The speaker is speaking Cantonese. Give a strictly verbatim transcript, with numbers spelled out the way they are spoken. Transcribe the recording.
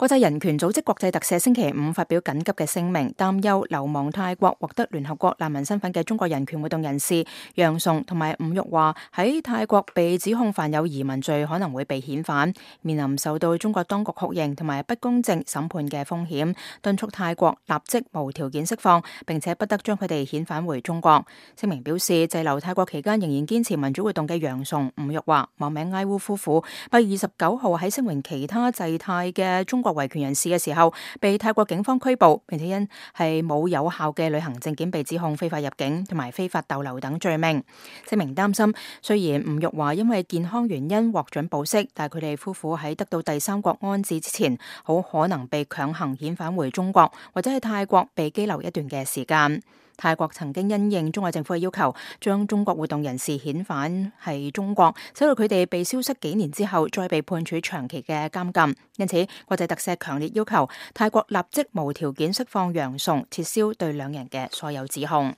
國際人權組織國際特赦星期五發表緊急嘅聲明，擔憂流亡泰國獲得聯合國難民身份嘅中國人權活動人士楊崇同埋伍玉華喺泰國被指控犯有移民罪，可能會被遣返，面臨受到中國當局酷刑同埋不公正審判嘅風險，敦促泰國立即無條件釋放，並且不得將佢哋遣返回中國。聲明表示，滯留泰國期間仍然堅持民主活動嘅楊崇、伍玉華、網名埃烏夫婦，八月二十九號喺聲援其他滯泰嘅中國維權人士嘅時候，被泰國警方拘捕，並且因係冇有效嘅旅行證件被指控非法入境同埋非法逗留等罪名。聲明擔心，雖然吳玉華因為健康原因獲准保釋，但係佢哋夫婦喺得到第三國安置之前，好可能被強行遣返回中國，或者喺泰國被羈留一段嘅時間。泰國曾經因應中國政府嘅要求，將中國活動人士遣返係中國，使到佢哋被消失幾年之後，再被判處長期嘅監禁。因此，國際特赦強烈要求泰國立即無條件釋放楊崇，撤銷對兩人嘅所有指控。